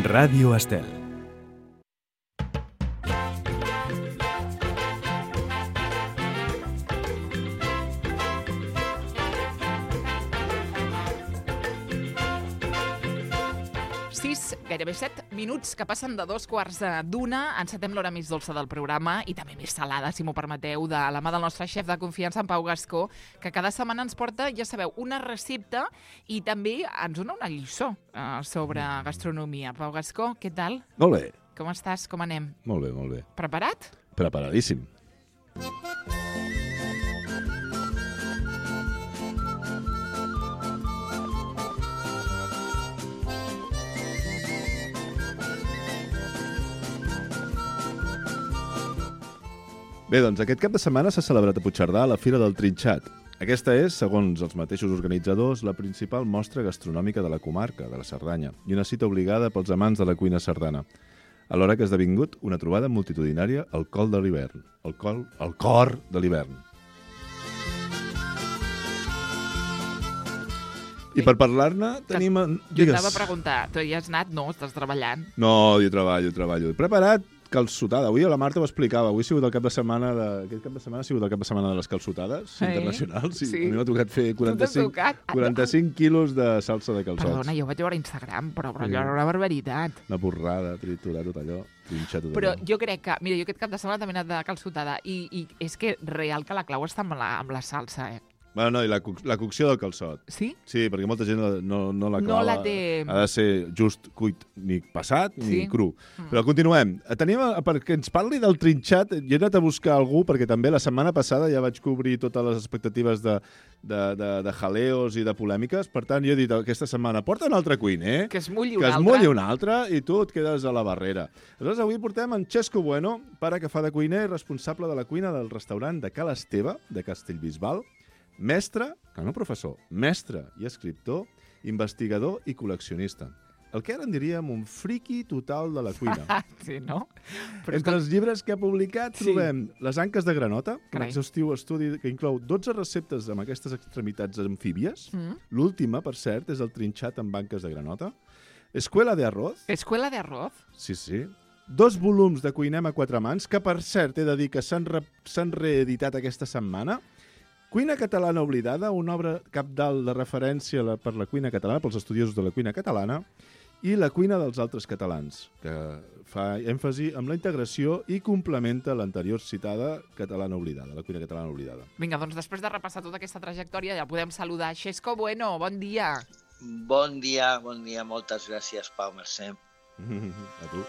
Ràdio Estel. Gairebé 7 minuts que passen de 2:15. Encetem l'hora més dolça del programa i també més salada, si m'ho permeteu, de la mà del nostre xef de confiança, en Pau Gascó, que cada setmana ens porta, ja sabeu, una recepta i també ens dona una lliçó sobre gastronomia. Pau Gascó, què tal? Molt bé. Com estàs? Com anem? Molt bé, molt bé. Preparat? Preparadíssim. Bé, doncs aquest cap de setmana s'ha celebrat a Puigcerdà la Fira del Trinxat. Aquesta és, segons els mateixos organitzadors, la principal mostra gastronòmica de la comarca, de la Cerdanya, i una cita obligada pels amants de la cuina sardana. Alhora que ha esdevingut una trobada multitudinària al cor de l'hivern. Al cor de l'hivern. I per parlar-ne tenim... Jo t'anava a preguntar, tu hi has anat? No, estàs treballant. No, jo treballo. He preparat calçotada. Avui la Marta ho explicava. Avui ha sigut el cap de setmana Aquest cap de setmana ha sigut el cap de setmana de les calçotades internacionals. Sí. A mi m'ha tocat fer 45 quilos de salsa de calçots. Perdona, jo vaig veure a Instagram, però allò era una barbaritat. Una porrada, triturar tot allò, trinxar tot allò. Però jo crec que... Mira, jo aquest cap de setmana també he anat de calçotada i és que real que la clau està amb la salsa, Bueno, no, i la cocció del calçot. Sí? Sí, perquè molta gent no la clava. No la té... Ha de ser just cuit, ni passat ni cru. Però continuem. Tenim, perquè ens parli del trinxat, jo he anat a buscar algú, perquè també la setmana passada ja vaig cobrir totes les expectatives de jaleos i de polèmiques. Per tant, jo he dit aquesta setmana, porta un altre cuiner, que es mulli un altre, i tu et quedes a la barrera. Aleshores, avui portem en Xesco Bueno, pare que fa de cuiner i responsable de la cuina del restaurant de Ca l'Esteve, de Castellbisbal, mestre, que no professor, mestre i escriptor, investigador i col·leccionista. El que ara en diríem un friqui total de la cuina. Sí, no? Però entre els llibres que ha publicat trobem Les anques de granota, un exhaustiu estudi que inclou 12 receptes amb aquestes extremitats amfíbies. L'última, per cert, és el trinxat amb anques de granota. Escuela de arroz. Escuela de arroz? Sí. 2 volums de Cuinem a 4 mans, que per cert he de dir que s'han reeditat aquesta setmana. Cuina catalana oblidada, una obra cabdal de referència per la cuina catalana, pels estudiosos de la cuina catalana, i la cuina dels altres catalans, que fa èmfasi en la integració i complementa l'anterior citada catalana oblidada, la cuina catalana oblidada. Vinga, doncs després de repassar tota aquesta trajectòria ja podem saludar Xesco Bueno. Bon dia. Bon dia. Moltes gràcies, Pau, merci. A tu.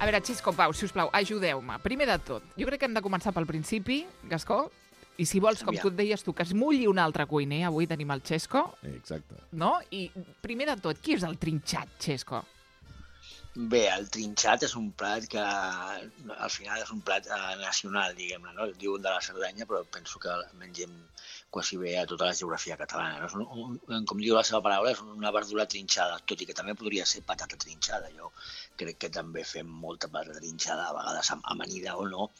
A veure, Xesco, Pau, sisplau, ajudeu-me. Primer de tot, jo crec que hem de començar pel principi, Gascó, i si vols, com tu et deies tu, que es mulli un altre cuiner, avui tenim el Xesco. Exacte. No? I primer de tot, qui és el trinxat, Xesco? Bé, el trinxat és un plat que al final és un plat nacional, diguem-ne, no? Diuen de la Cerdanya, però penso que mengem quasi bé a tota la geografia catalana. Com diu la seva paraula, és una verdura trinxada, tot i que també podria ser patata trinxada. Jo crec que també fem molta patata trinxada, a vegades amanida o no,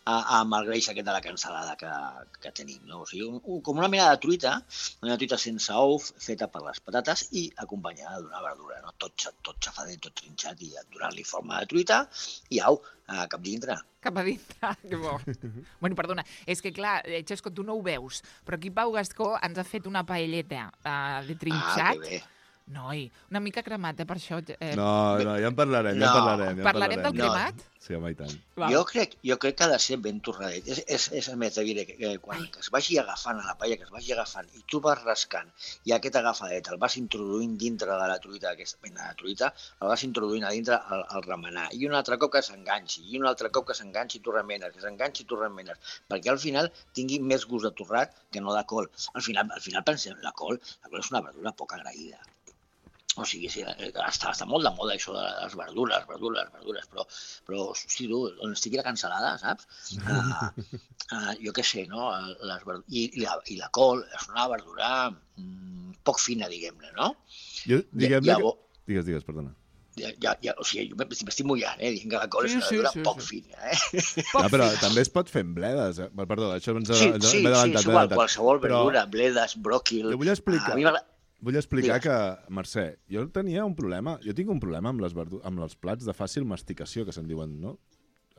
amb el greix aquest de la cansalada que tenim, no? O sigui, com una mena de truita sense ou, feta per les patates i acompanyada d'una verdura, no? Tot xafadet, tot trinxat, i donant-li forma de truita i au, cap dintre. Cap a dintre, que bo. Bueno, perdona, és que clar, Xesco, tu no ho veus, però aquí Pau Gascó ens ha fet una paelleta de trinxat. Que bé. Noi, una mica cremat, per això. No, ja en parlarem. Parlarem del cremat? Sí, home, i tant. Jo crec que ha de ser ben torradet. És a més, diré que quan es vagi agafant a la paella, que es vagi agafant, i tu vas rascant, i aquest agafadet el vas introduint dintre de la truita, aquesta mena de truita, el vas introduint a dintre al remenar. I un altre cop que s'enganxi, i un altre cop que s'enganxi, tu remenes, perquè al final tingui més gust de torrat que no de col. Al final pensem, la col és una verdura poc agraïda. O sigui, sí, està molt de moda això de les verdures, però sí, tu, on estigui la cansalada, saps? Jo què sé, no? I la col és una verdura poc fina, diguem-ne, no? Digues, perdona. o sigui, jo m'estic mullant, dient que la col és una verdura poc fina, Però també es pot fer amb bledes. Perdó, això ens m'he adelantat. Sí, qualsevol verdura, bledes, bròquil... Vull explicar que, Mercè, jo tenia un problema. Jo tinc un problema amb els plats de fàcil masticació, que se'n diuen, no?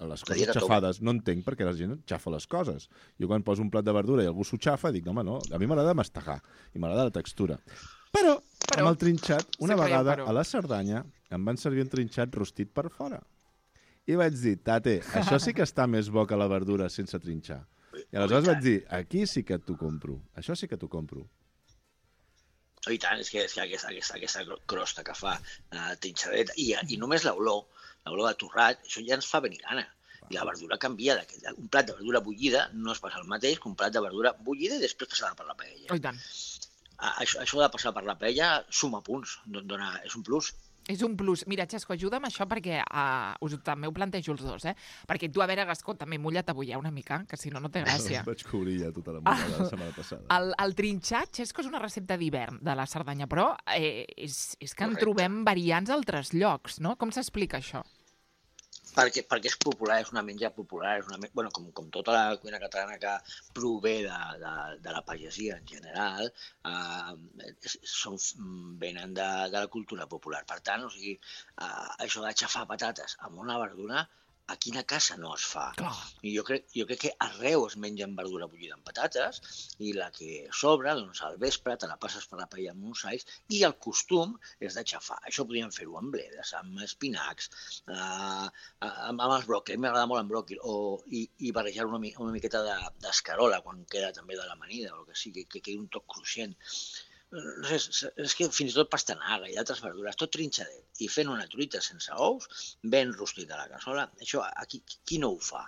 Les coses xafades. No entenc per què la gent xafa les coses. Jo quan poso un plat de verdura i algú s'ho xafa, dic, home, no, a mi m'agrada mastegar i m'agrada la textura. Però amb el trinxat, una vegada a la Cerdanya em van servir un trinxat rostit per fora. I vaig dir, tate, això sí que està més bo que la verdura sense trinxar. I aleshores vaig dir, aquí sí que t'ho compro. Això sí que t'ho compro. I tant, és que aquesta crosta que fa trinxadeta, i només l'olor de torrat, això ja ens fa venir gana. I la verdura canvia. Un plat de verdura bullida no es passa el mateix que un plat de verdura bullida i després passada per la paella. Oh, i tant. Això de passar per la paella suma punts, és un plus. És un plus. Mira, Xesco, ajuda'm això perquè també ho plantejo els dos, Perquè tu, a veure, Gascó, també mulla't avui una mica, que si no, no té gràcia. Vaig cobrir ja tota la mullada la setmana passada. El trinxat, Xesco, és una recepta d'hivern de la Cerdanya, però és que en trobem variants a altres llocs, no? Com s'explica això? Perquè és popular, és una menja popular, com tota la cuina catalana que prové de la pagesia en general, venen de la cultura popular. Per tant, això de xafar patates amb una verdura, a quina casa no es fa? Clar. I jo crec que arreu es mengen verdura bullida amb patates i la que sobra, doncs al vespre te la passes per la paella amb uns alls i el costum és de xafar. Això podríem fer-ho amb bledes, amb espinacs, amb els bròquil, m'agrada molt amb bròquil, i barrejar una miqueta d'escarola quan queda també de l'amanida o el que sigui, que quedi un toc cruixent. És que fins i tot pastanaga i altres verdures, tot trinxadet, i fent una truita sense ous, ben rostit a la cassola, això aquí qui no ho fa?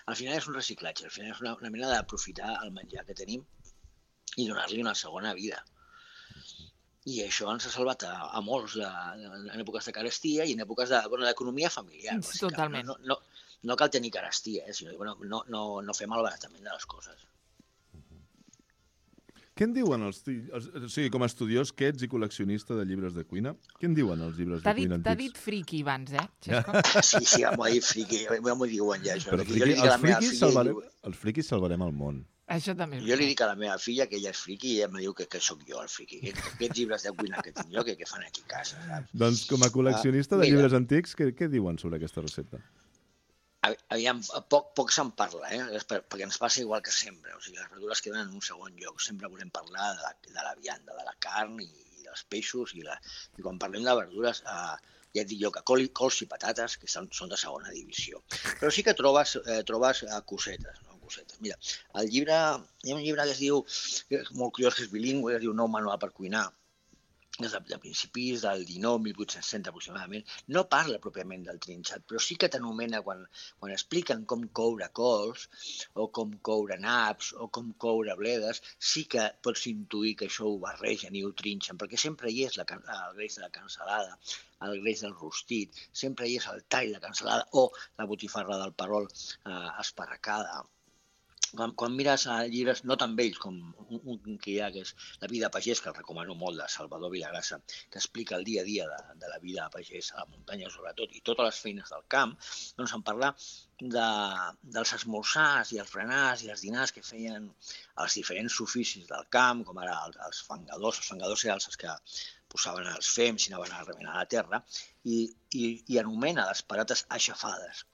Al final és un reciclatge, al final és una manera d'aprofitar el menjar que tenim i donar-li una segona vida. I això ens ha salvat a molts en èpoques de carestia i en èpoques d'economia familiar. Totalment. No cal tenir carestia, sinó no fer malbaratament de les coses. Què en diuen com a estudiós que ets i col·leccionista de llibres de cuina? Què en diuen els llibres de cuina antics? T'ha dit friqui abans, Xesco? Sí, m'ho ha dit friqui, m'ho diuen ja, això. Però els friquis salvarem el món. Això també. Jo li dic a la meva filla que ella és friqui i ella em diu que sóc jo el friqui. Aquests llibres de cuina que tinc jo, que fan aquí a casa, saps? Doncs com a col·leccionista de llibres antics, què diuen sobre aquesta recepta? Aviam, poc se'n parla, perquè ens passa igual que sempre. O sigui, les verdures queden en un segon lloc. Sempre volem parlar de la vianda, de la carn i dels peixos. I quan parlem de verdures, ja et dic jo que cols i patates, que són de segona divisió. Però sí que trobes cosetes, no? Mira, hi ha un llibre que es diu, molt curiós, que és bilingüe, que es diu Nou manual per cuinar, des de principis del 19, 1860 aproximadament, no parla pròpiament del trinxat, però sí que t'anomena quan expliquen com coure cols, o com coure naps, o com coure bledes, sí que pots intuir que això ho barregen i ho trinxen, perquè sempre hi és el greix de la cansalada, el greix del rostit, sempre hi és el tall de cansalada o la botifarra del perol esparracada. Quan mires llibres no tan vells com un que hi ha, que és La vida pagès, que el recomano molt, de Salvador Vilagrassa, que explica el dia a dia de la vida pagès a la muntanya sobretot i totes les feines del camp, doncs en parlar dels esmorzars i els berenars i els dinars que feien els diferents oficis del camp, com ara els fangadors. Els fangadors eren els que posaven els fems i anaven a remenar la terra, i anomena les patates aixafades.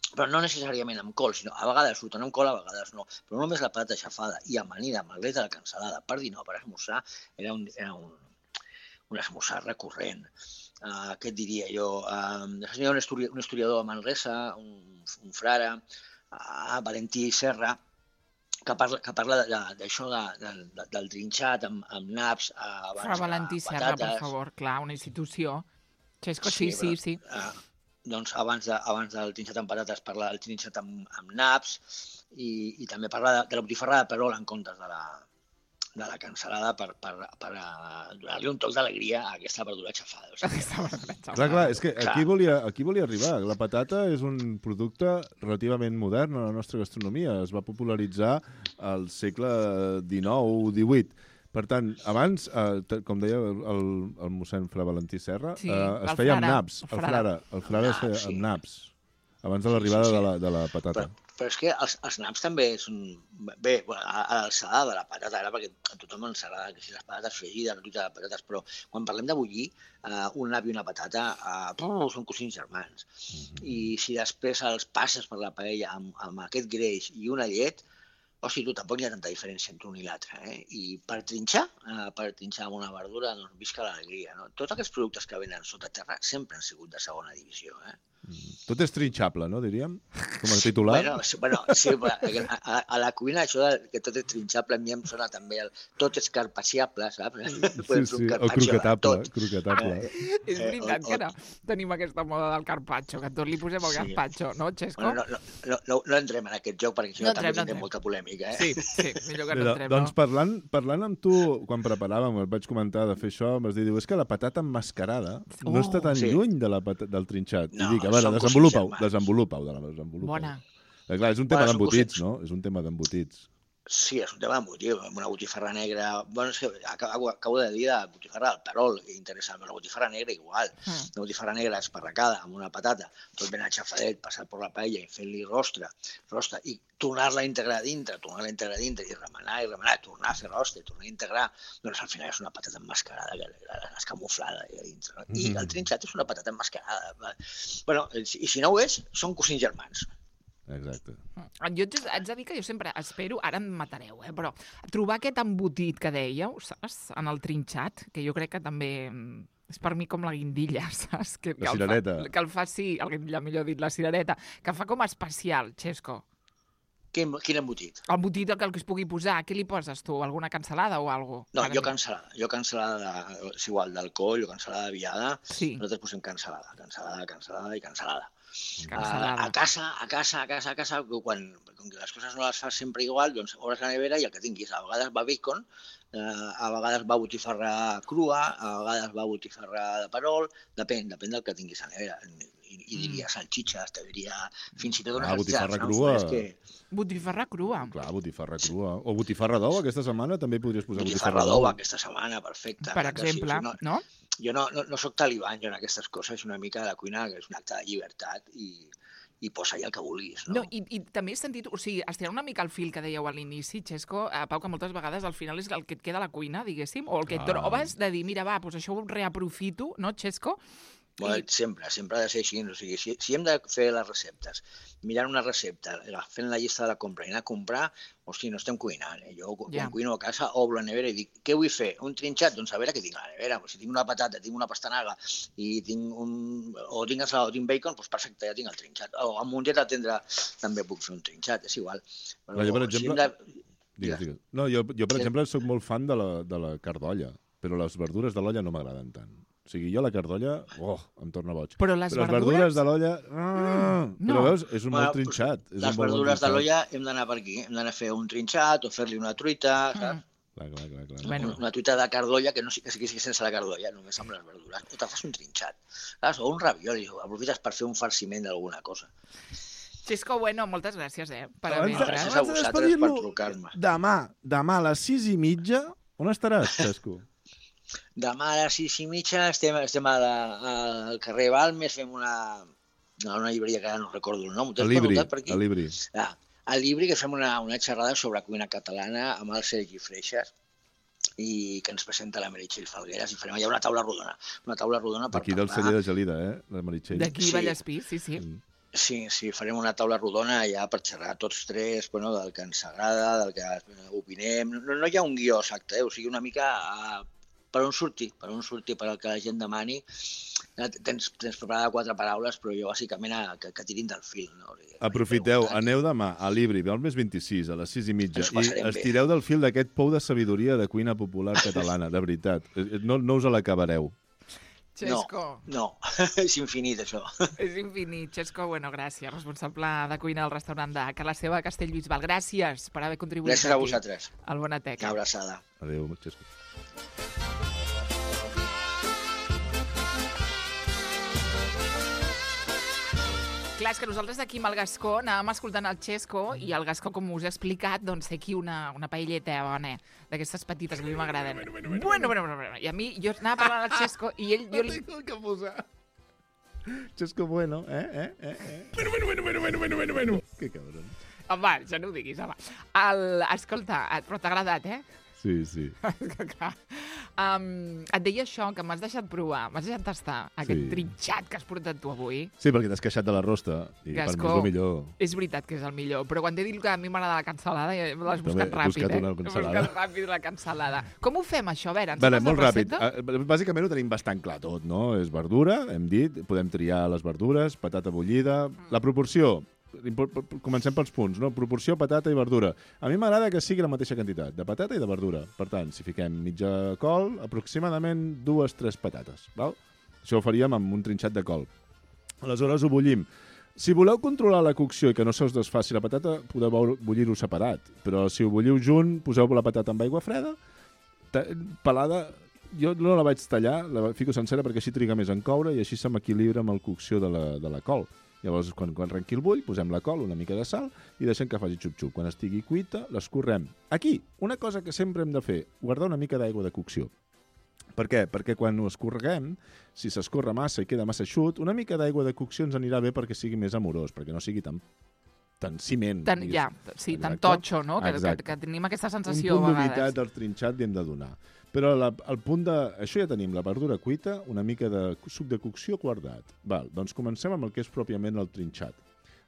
Però no necessàriament amb col, sinó a vegades surten amb col, a vegades no. Però només la patata aixafada i amanida amb el greix de la cansalada per dinar o per esmorzar era un esmorzar recurrent. Què et diria jo? Hi ha un historiador a Manresa, un frare, Valentí Serra, que parla d'això del trinxat amb naps, Fra Valentí Serra, per favor, clar, una institució. Xesco, sí. Doncs abans del trinxat amb patates parla del trinxat amb naps i també parla de la botifarra de perol en comptes de la cansalada per donar-li un toc d'alegria a aquesta verdura xafada. Clar, és que aquí volia arribar. La patata és un producte relativament modern a la nostra gastronomia. Es va popularitzar al segle XIX o XVIII. Per tant, abans, com deia el mossèn Fra Valentí Serra, es feia amb naps. El frare es feia amb naps, abans de l'arribada de la patata. Però és que els naps també són... Bé, a l'alçada de la patata, ara perquè a tothom ens agrada que si les patates fregides, la truita de patates, però quan parlem de bullir, un nap i una patata són cosins germans. I si després els passes per la paella amb aquest greix i una llet, tu tampoc hi ha tanta diferència entre un i l'altre. I per trinxar amb una verdura, doncs visca l'alegria. Tots aquests productes que venen sota terra sempre han sigut de segona divisió. Tot és trinxable, no, diríem? Com a titular? Bueno, sí, a la cuina això que tot és trinxable a mi em sona també tot és carpacciable, saps? Sí, el croquetable. És veritat que tenim aquesta moda del carpaccio, que tot li posem el carpaccio, no, Xesco? No entrem en aquest joc perquè això també tindrà molta polèmica. Sí, millor que no entrem. Doncs parlant amb tu, quan preparàvem, et vaig comentar de fer això, em vas dir, és que la patata emmascarada no està tan lluny del trinxat. I dic, a veure, desenvolupa-ho. Bona. Clar, és un tema d'embotits, no? És un tema d'embotits. Sí, és un tema d'embotit, una botifarra negra... Bueno, és que acabo de dir de botifarra del Perol, que interessant, però la botifarra negra igual. La botifarra negra esparracada amb una patata, tot ben aixafadet, passat per la paella i fent-li rostre, i tornar-la a integrar dintre, i remenar, tornar a fer rostre, tornar a integrar, doncs al final és una patata emmascarada, escamuflada allà dintre. I el trinxat és una patata emmascarada. Bueno, i si no ho és, són cosins germans. Exacte. Jo haig de dir que jo sempre espero, ara em matareu, però trobar aquest embotit que dèieu, saps, en el trinxat, que jo crec que també és per mi com la guindilla, saps? La cirereta. Que el fa, sí, la guindilla, millor dit, la cirereta, que fa com especial, Xesco. Quin embotit? El embotit que es pugui posar, què li poses tu? Alguna cansalada o alguna cosa? No, jo cansalada, és igual, d'alcohol o cansalada de viada, nosaltres posem cansalada i cansalada. A casa, quan les coses no les fas sempre igual, doncs obres la nevera i el que tinguis. A vegades va bacon, a vegades va botifarra crua, a vegades va botifarra de perol, depèn del que tinguis a la nevera. I diria salxitxes, te diria fins i tot unes botifarra crua. Botifarra crua. Clar, botifarra crua. O botifarra d'ou, aquesta setmana també podries posar botifarra d'ou. Aquesta setmana, perfecte. Per exemple, no? Jo no soc talibán jo en aquestes coses, és una mica de cuina que és un acte de llibertat i posa allà el que vulguis, no? I també he sentit, o sigui, estirar una mica el fil que dèieu a l'inici, Xesco, Pau, que moltes vegades al final és el que et queda a la cuina, diguéssim, o el que et trobes de dir, mira, va, doncs això ho reaprofito, no, Xesco? Bueno, sempre ha de ser així. O sigui, si hem de fer les receptes, mirant una recepta, fent la llista de la compra i anar a comprar, hosti, no estem cuinant. Jo quan cuino a casa obro la nevera i dic, què vull fer? Un trinxat? Doncs a veure què tinc a la nevera. Si tinc una patata, tinc una pastanaga i tinc ensalada o tinc bacon, doncs perfecte, ja tinc el trinxat. O amb un dieta tendre també puc fer un trinxat, és igual. Jo, per exemple... Jo, per exemple, soc molt fan de la carn d'olla, però les verdures de l'olla no m'agraden tant. O sigui, jo la carn d'olla, em torna boig. Però les verdures de l'olla... Però veus, és un molt trinxat. Les verdures de l'olla hem d'anar per aquí. Hem d'anar a fer un trinxat o fer-li una truita, saps? Clar. Una truita de carn d'olla que no sigui sense la carn d'olla, només amb les verdures. O te fas un trinxat. O un ravioli, aprofites per fer un farciment d'alguna cosa. Xesco, bueno, moltes gràcies, per haver gràcies a vosaltres per trucar-me. Demà a les 6:30, on estaràs, Xesco? Demà a les 6:30 estem al carrer Balmes, fem una llibreria que ara no recordo el nom. A l'Ibri. A l'Ibri, que fem una xerrada sobre cuina catalana amb el Sergi Freixas i que ens presenta la Meritxell Falgueras i farem allà una taula rodona per parlar. Aquí del celler de Gelida, la Meritxell. D'aquí Vallespí, sí. Sí, farem una taula rodona allà per xerrar tots tres, del que ens agrada, del que opinem. No hi ha un guió exacte, o sigui, una mica per on surti, per al que la gent demani. Tens preparada 4 paraules, però jo bàsicament que tirin del fil. No? Aprofiteu, aneu demà a l'Ibri, Balmes 26, a les 6:30, i estireu del fil d'aquest pou de sabidoria de cuina popular catalana, de veritat. No us l'acabareu. Xesco. No, és infinit, això. És infinit. Xesco, bueno, gràcies, responsable de cuina del restaurant de Cala Seva, Castellbisbal. Gràcies per haver contribuït aquí. Gràcies a vosaltres. Al Bonateca. Una abraçada. Adéu, Xesco. Clar, és que nosaltres aquí amb el Gascó anàvem escoltant el Xesco i el Gascó, com us he explicat, doncs té aquí una paelleta bona, d'aquestes petites que a mi m'agraden. Bueno. I a mi, jo anava parlant al Xesco i ell... No tinc el que posar. Xesco bueno, Bueno. Que cabron. Home, ja no ho diguis, home. Escolta, però t'ha agradat, eh? Sí. Et deia això, que m'has deixat provar, m'has deixat tastar aquest trinxat que has portat tu avui. Sí, perquè t'has queixat de la rosta i Gascó, per mi és el millor. És veritat que és el millor, però quan t'he dit que a mi m'agrada la cansalada, l'has buscat ràpid, una cansalada. He buscat ràpid la cansalada. Com ho fem, això? A veure, ens Vale, fas molt la ràpid. recepta? Bàsicament ho tenim bastant clar tot, no? És verdura, hem dit, podem triar les verdures, patata bullida... La proporció, comencem pels punts, no? Proporció patata i verdura. A mi m'agrada que sigui la mateixa quantitat, de patata i de verdura. Per tant, si fiquem mitja col, aproximadament 2-3 patates, val? Això ho faríem amb un trinxat de col. Aleshores ho bullim. Si voleu controlar la cocció i que no se us desfaci la patata, podeu bullir-ho separat. Però si ho bulliu junt, poseu la patata amb aigua freda, pelada... Jo no la vaig tallar, la fico sencera perquè així triga més en coure i així se m'equilibra amb la cocció de la col. Llavors, quan arrenqui el bull, posem la col, una mica de sal i deixem que faci xup-xup. Quan estigui cuita, l'escorrem. Aquí, una cosa que sempre hem de fer, guardar una mica d'aigua de cocció. Per què? Perquè quan ho escorreguem, si s'escorre massa i queda massa eixut, una mica d'aigua de cocció ens anirà bé perquè sigui més amorós, perquè no sigui tan ciment. Tan totxo, no? Que tenim aquesta sensació a vegades. Un punt a vegades. d'humitat del trinxat li hem de donar. Però el punt de... Això ja tenim, la verdura cuita, una mica de suc de cocció guardat. Val, doncs comencem amb el que és pròpiament el trinxat.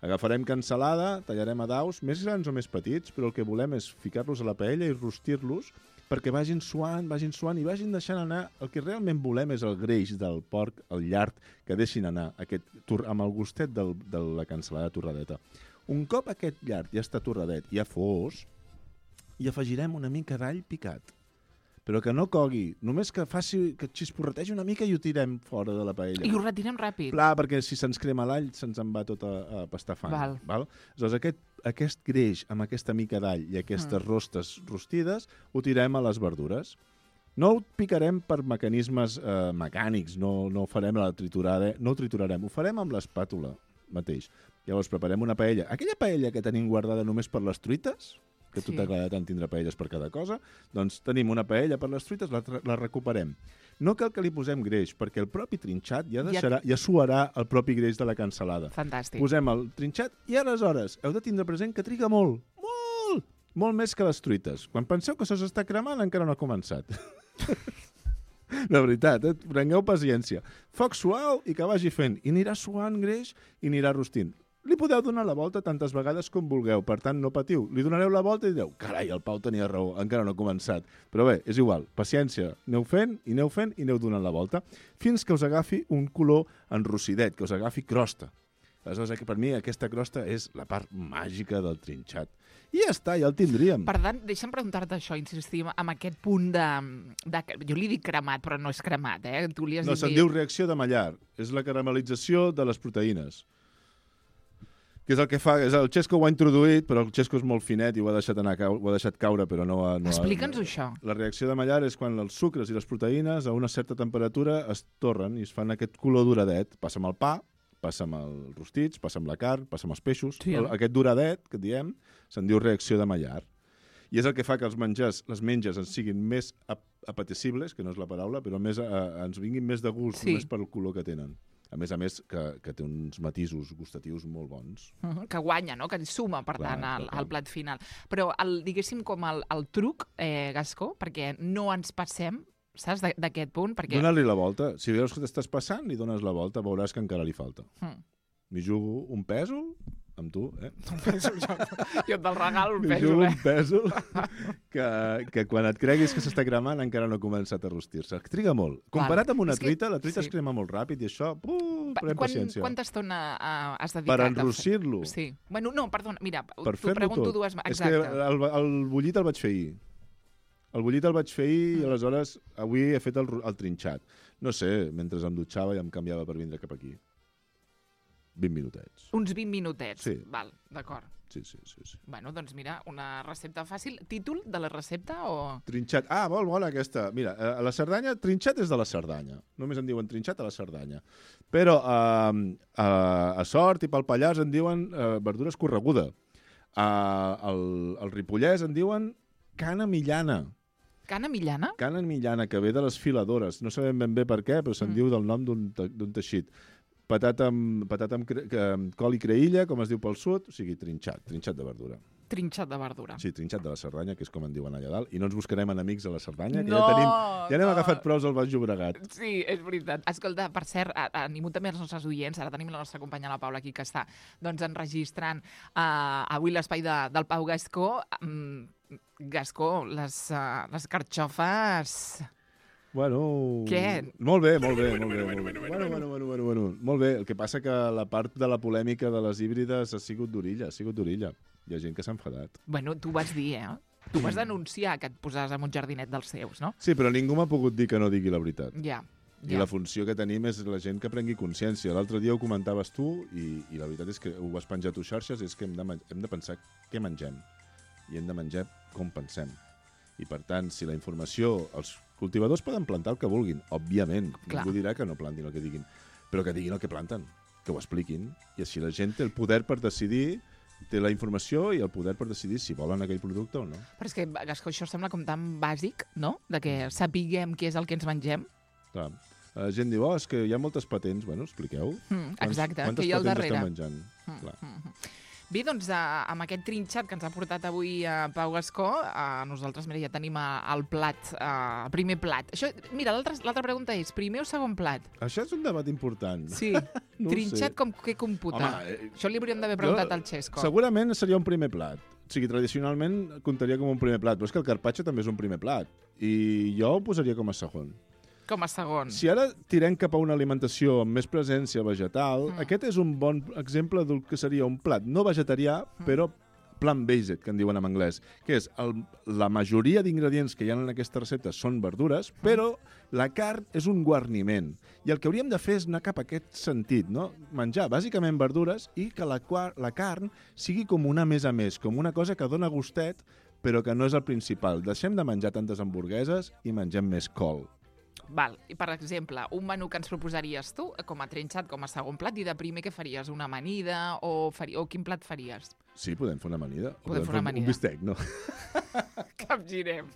Agafarem cansalada, tallarem a daus, més grans o més petits, però el que volem és ficar-los a la paella i rostir-los perquè vagin suant i vagin deixant anar... El que realment volem és el greix del porc, el llard, que deixin anar amb el gustet de la cansalada torradeta. Un cop aquest llard ja està torradet, ja fos, hi afegirem una mica d'all picat. Però que no cogui, només que xisporretegi una mica i ho tirem fora de la paella. I ho retirem ràpid. Clar, perquè si se'ns crema l'all se'ns en va tot a pastar fang. Val? Aleshores, aquest greix amb aquesta mica d'all i aquestes rostes rostides ho tirem a les verdures. No ho picarem per mecanismes mecànics, no farem la triturada, no ho triturarem, ho farem amb l'espàtula mateix. Llavors preparem una paella. Aquella paella que tenim guardada només per les truites, que a tu t'agrada tant tindre paelles per cada cosa, doncs tenim una paella per les truites, la recuperem. No cal que li posem greix, perquè el propi trinxat ja suarà el propi greix de la cansalada. Fantàstic. Posem el trinxat i aleshores heu de tindre present que triga molt més que les truites. Quan penseu que això s'està cremant, encara no ha començat. De veritat, prengueu paciència. Foc suau i que vagi fent. I anirà suant greix i anirà rostint. Li podeu donar la volta tantes vegades com vulgueu, per tant, no patiu. Li donareu la volta i direu, carai, el Pau tenia raó, encara no ha començat. Però bé, és igual, paciència, aneu fent i aneu donant la volta, fins que us agafi un color enrossidet, que us agafi crosta. Aleshores, per mi aquesta crosta és la part màgica del trinxat. I ja està, ja el tindríem. Per tant, deixa'm preguntar-te això, insistim, amb aquest punt de... Jo li dic cremat, però no és cremat, eh? Tu li has dit... se'n diu reacció de Maillard. És la caramelització de les proteïnes. Que és el que fa... El Xesco ho ha introduït, però el Xesco és molt finet i ho ha deixat caure, però no... Explica'ns això. La reacció de Maillard és quan els sucres i les proteïnes a una certa temperatura es torren i es fan aquest color doradet. Passa amb el pa, passa amb els rostits, passa amb la carn, passa amb els peixos. Sí, aquest doradet, que diem, se'n diu reacció de Maillard. I és el que fa que els menjars, les menges ens siguin més apetecibles, que no és la paraula, però ens vinguin més de gust, només pel color que tenen. A més, que té uns matisos gustatius molt bons. Que guanya, no? Que suma, per tant, al plat final. Però, diguéssim, com el truc, Gascó, perquè no ens passem, saps, d'aquest punt? Dóna-li la volta. Si veus que t'estàs passant, li dones la volta, veuràs que encara li falta. M'hi jugo un pèsol amb tu, Un pèsol, jo te'l regalo, un pèsol, M'hi jugo un pèsol que quan et creguis que s'està cremant encara no ha començat a rostir-se. Triga molt. Comparat amb una truita, la truita es crema molt ràpid i això, pren paciència. Quanta estona has dedicat? Per enrossir-lo? Sí. Bueno, no, perdona, mira, t'ho pregunto dues... Exacte. És que el bullit el vaig fer ahir. I aleshores avui he fet el trinxat. No sé, mentre em dutxava i em canviava per vindre cap aquí. 20 minutets. Uns 20 minutets. Sí. Val, d'acord. Sí. Bueno, doncs mira, una recepta fàcil. Títol de la recepta o...? Trinxat. Molt bona aquesta. Mira, a la Cerdanya, trinxat és de la Cerdanya. Només en diuen trinxat a la Cerdanya. Però a Sort i pel Pallars en diuen verdura escorreguda. Al Ripollès en diuen cana millana. Cana millana? Cana millana, que ve de les filadores. No sabem ben bé per què, però se'n diu del nom d'un teixit. Patata amb col i creïlla, com es diu pel sud, o sigui, trinxat de verdura. Trinxat de verdura. Sí, trinxat de la Cerdanya, que és com en diuen allà dalt. I no ens buscarem enemics a la Cerdanya, que No, ja n'hem agafat prous al Baix Llobregat. Sí, és veritat. Escolta, per cert, animo també els nostres oients, ara tenim la nostra companya la Paula aquí, que està enregistrant avui l'espai del Pau Gascó. Gascó, les carxofes... Bueno... Què? Molt bé. Bueno. Molt bé. El que passa que la part de la polèmica de les híbrides ha sigut d'orilla. Hi ha gent que s'ha enfadat. Bueno, tu vas dir, Tu vas denunciar que et posaves en un jardinet dels seus, no? Sí, però ningú m'ha pogut dir que no digui la veritat. Ja. I la funció que tenim és la gent que prengui consciència. L'altre dia ho comentaves tu i la veritat és que ho has penjat a xarxes, és que hem de pensar què mengem. I hem de menjar com pensem. I, per tant, si la informació... Els cultivadors poden plantar el que vulguin, òbviament. Clar. Ningú dirà que no plantin el que diguin. Però que diguin el que planten, que ho expliquin. I així la gent té el poder per decidir, té la informació i el poder per decidir si volen aquell producte o no. Però és que, Gascó, això sembla com tan bàsic, no? De que sapiguem què és el que ens mengem. Clar. La gent diu, és que hi ha moltes patents. Bueno, expliqueu. Exacte, Quantes que hi ha al patents darrere. estem menjant? Clar. Bé, doncs, amb aquest trinxat que ens ha portat avui Pau Gascó, nosaltres, mira, ja tenim el plat, el primer plat. Això, mira, l'altra pregunta és, primer o segon plat? Això és un debat important. Sí. No Trinxat com què computa? Home, això li hauríem d'haver preguntat al Xesco. Segurament seria un primer plat. O sigui, tradicionalment comptaria com un primer plat, però és que el carpaccio també és un primer plat. I jo ho posaria com a segon. Com a segon. Si ara tirem cap a una alimentació amb més presència vegetal, aquest és un bon exemple del que seria un plat no vegetarià, però plant-based, que en diuen en anglès, que és la majoria d'ingredients que hi ha en aquesta recepta són verdures, però la carn és un guarniment. I el que hauríem de fer és anar cap a aquest sentit, no? Menjar bàsicament verdures i que la carn sigui com una més a més, com una cosa que dona gustet, però que no és el principal. Deixem de menjar tantes hamburgueses i mengem més col. Val. I, per exemple, un menú que ens proposaries tu, com a trinxat, com a segon plat, i de primer què faries? Una amanida o quin plat faries? Sí, podem fer una amanida. Podem fer una amanida. Un bistec, no? Capgirem.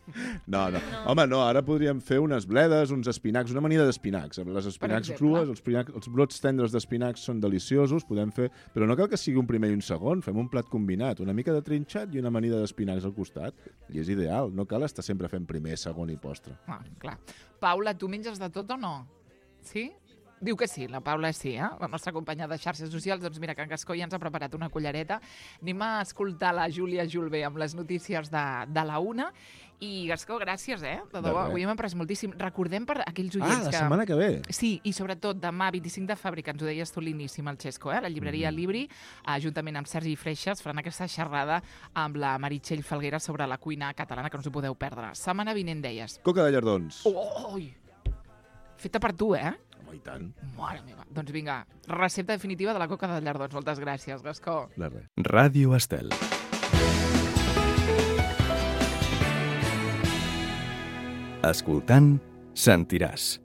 No. Home, no, ara podríem fer unes bledes, uns espinacs, una amanida d'espinacs. Les espinacs crues, els brots tendres d'espinacs són deliciosos, podem fer... Però no cal que sigui un primer i un segon, fem un plat combinat, una mica de trinxat i una amanida d'espinacs al costat. I és ideal, no cal estar sempre fent primer, segon i postre. Clar. Paula, tu menges de tot o no? Sí? Diu que sí, la Paula sí, la nostra companya de xarxes socials. Doncs mira, que en Gascó ja ens ha preparat una cullereta. Anem a escoltar la Júlia Julbé amb les notícies de la 1. I Gascó, gràcies, De debò, avui hem après moltíssim. Recordem per aquells oients la setmana que ve. Sí, i sobretot demà, 25 de febrer, que ens ho deies tu a l'inici amb el Xesco, la llibreria Libri, juntament amb Sergi Freixas, faran aquesta xerrada amb la Meritxell Falguera sobre la cuina catalana, que no us ho podeu perdre. Setmana vinent, deies. Coca de llardons. Oi! Feta per tu, I tant. Mare meva. Doncs vinga, recepta definitiva de la coca de llardons. Moltes gràcies, Gascó. De res. Ràdio Estel. Escoltant, sentiràs.